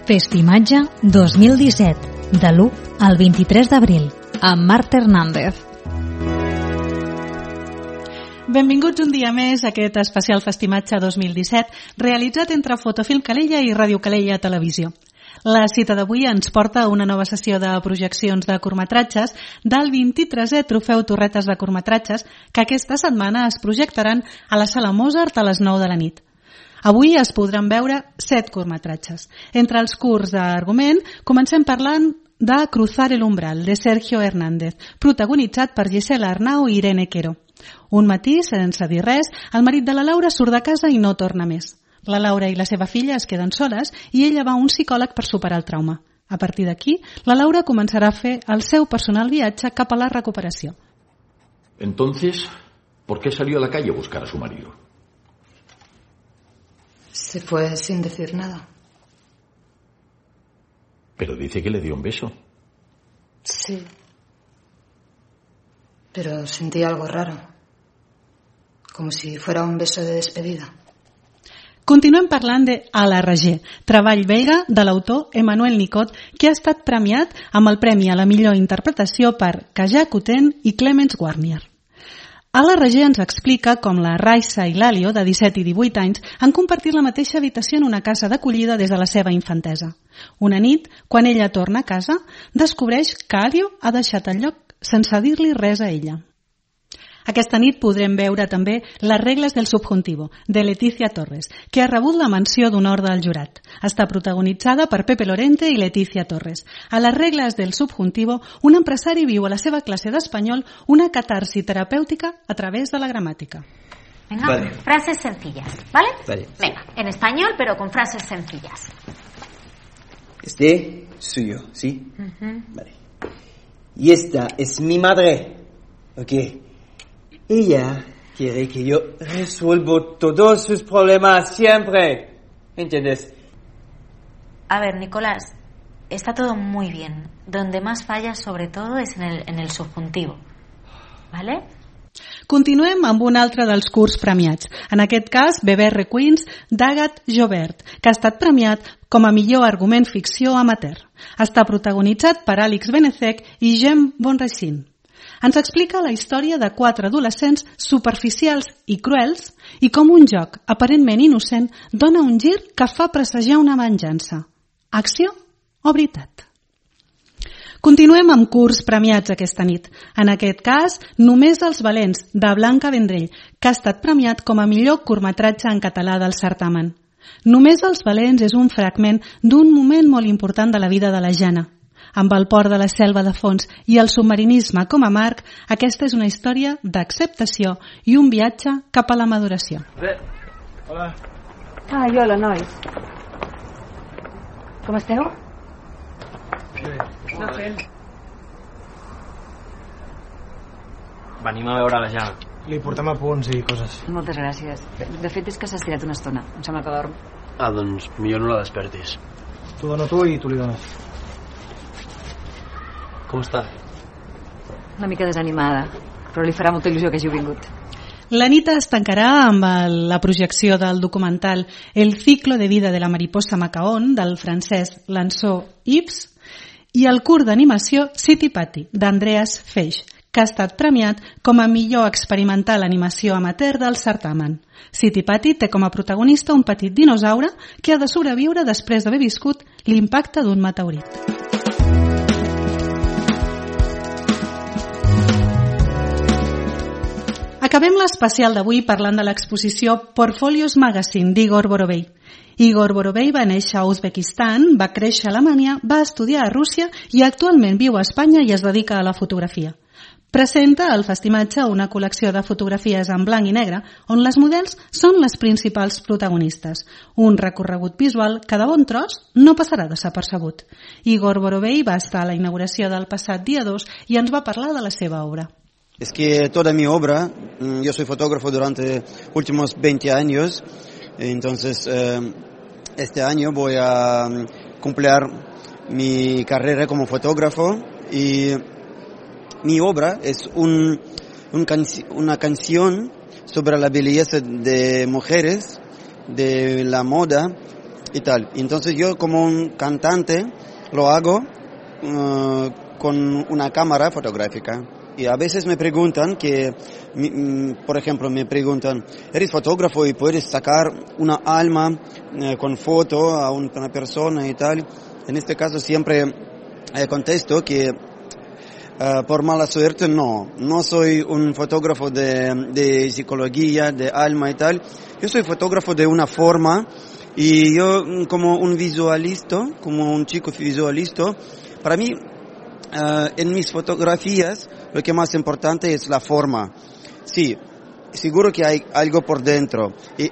Festimatge 2017, de l'1 al 23 d'abril, amb Marta Hernández. Benvinguts un dia més a aquest especial Festimatge 2017, realitzat entre Fotofilm Calella i Ràdio Calella Televisió. La cita d'avui ens porta a una nova sessió de projeccions de curtmetratges del 23è Trofeu Torretes de Curtmetratges, que aquesta setmana es projectaran a la Sala Mozart a les 9 de la nit. Avui es podran veure 7 curtmetratges. Entre els curts d'argument, comencem parlant de Cruzar el umbral, de Sergio Hernández, protagonitzat per Gisela Arnau i Irene Quero. Un matí, sense dir res, el marit de la Laura surt de casa i no torna més. La Laura i la seva filla es queden soles i ella va a un psicòleg per superar el trauma. A partir d'aquí, la Laura començarà a fer el seu personal viatge cap a la recuperació. Entonces, ¿por qué salió a la calle a buscar a su marido? Se fue sin decir nada. Pero dice que le dio un beso. Sí. Pero sentí algo raro. Como si fuera un beso de despedida. Continuem parlant de A la Reger, treball belga de l'autor Emmanuel Nicot, que ha estat premiat amb el Premi a la millor interpretació per Kaja Kuten i Clemens Warnier. A la Reger ens explica com la Raisa i l'Alio, de 17 i 18 anys, han compartit la mateixa habitació en una casa d'acollida des de la seva infantesa. Una nit, quan ella torna a casa, descobreix que Alio ha deixat el lloc sense dir-li res a ella. Aquesta nit podrem veure també Les regles del subjuntivo, de Leticia Torres, que ha rebut la menció d'honor del jurat. Està protagonitzada per Pepe Lorente i Leticia Torres. A Les regles del subjuntivo, un empresari viu a la seva classe d'espanyol una catarsi terapèutica a través de la gramàtica. Venga, vale. Frases sencillas, ¿vale? Vale. Venga, en español, pero con frases sencillas. Este suyo, ¿sí? Vale. Y esta es mi madre. Ok. Ella quiere que yo resuelva todos sus problemas siempre. ¿Entiendes? A ver, Nicolás, está todo muy bien. Donde más fallas, sobre todo, es en el subjuntivo. ¿Vale? Continuem amb un altre dels curts premiats. En aquest cas, Beber Requins, d'Agathe Jobert, que ha estat premiat com a millor argument ficció amateur. Està protagonitzat per Àlex Benezek i Jem Bonracin. Ens explica la història de 4 adolescents superficials i cruels i com un joc aparentment innocent dona un gir que fa presagiar una venjança. Acció o veritat? Continuem amb curts premiats aquesta nit. En aquest cas, Només els valents, de Blanca Vendrell, que ha estat premiat com a millor curtmetratge en català del certamen. Només els valents és un fragment d'un moment molt important de la vida de la Jana. Amb el port de la Selva de fons i el submarinisme com a marc, aquesta és una història d'acceptació i un viatge cap a la maduració. Hola. Hola, nois. Com esteu? Està fent? Venim a veure la Jana. Li portem apunts i coses. Moltes gràcies. De fet, és que s'ha estirat una estona. Em sembla que dorm. Doncs millor no la despertis. T'ho dono tu i tu li dones. Com està? Una mica desanimada, però li farà molta il·lusió que hagi vingut. La nit es tancarà amb la projecció del documental El ciclo de vida de la mariposa Macaón, del francès Lançó Yves, i el curt d'animació City Patty, d'Andreas Feix, que ha estat premiat com a millor experimental animació amateur del certamen. City Patty té com a protagonista un petit dinosaure que ha de sobreviure després d'haver viscut l'impacte d'un meteorit. Acabem l'especial d'avui parlant de l'exposició Portfolios Magazine d'Igor Borovei. Igor Borovei va néixer a Uzbekistan, va créixer a Alemanya, va estudiar a Rússia i actualment viu a Espanya i es dedica a la fotografia. Presenta al Festimatge una col·lecció de fotografies en blanc i negre on les models són les principals protagonistes. Un recorregut visual que de bon tros no passarà desapercebut. Igor Borovei va estar a la inauguració del passat dia 2 i ens va parlar de la seva obra. Es que toda mi obra, yo soy fotógrafo durante últimos 20 años, entonces este año voy a cumplir mi carrera como fotógrafo y mi obra es una canción sobre la belleza de mujeres, de la moda y tal. Entonces yo como un cantante lo hago con una cámara fotográfica. Y a veces me preguntan por ejemplo, ¿eres fotógrafo y puedes sacar una alma con foto a una persona y tal? En este caso siempre contesto que por mala suerte no soy un fotógrafo de psicología, de alma y tal. Yo soy fotógrafo de una forma y yo como un visualista, como un chico visualista, para mí en mis fotografías lo que más importante es la forma. Sí, seguro que hay algo por dentro y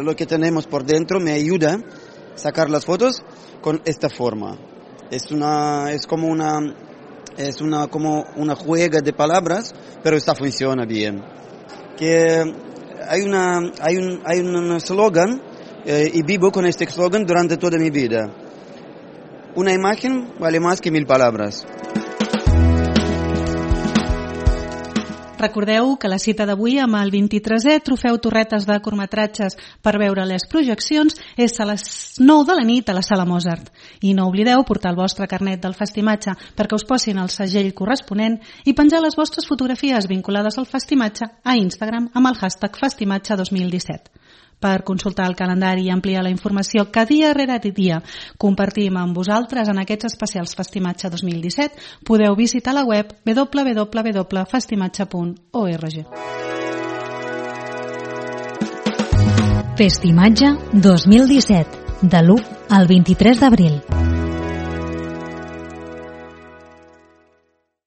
lo que tenemos por dentro me ayuda a sacar las fotos con esta forma. Es como una juega de palabras, pero esta funciona bien. Que hay un eslogan y vivo con este eslogan durante toda mi vida. Una imagen vale más que 1000 palabras. Recordeu que la cita d'avui amb el 23è Trofeu Torretes de curtmetratges per veure les projeccions és a les 9 de la nit a la Sala Mozart. I no oblideu portar el vostre carnet del Festimatge perquè us posin el segell corresponent i penjar les vostres fotografies vinculades al Festimatge a Instagram amb el hashtag Festimatge 2017. Per consultar el calendari i ampliar la informació que dia rere dia compartim amb vosaltres en aquests especials Festimatge 2017, podeu visitar la web www.festimatge.org. Festimatge 2017, de l'1 al 23 d'abril.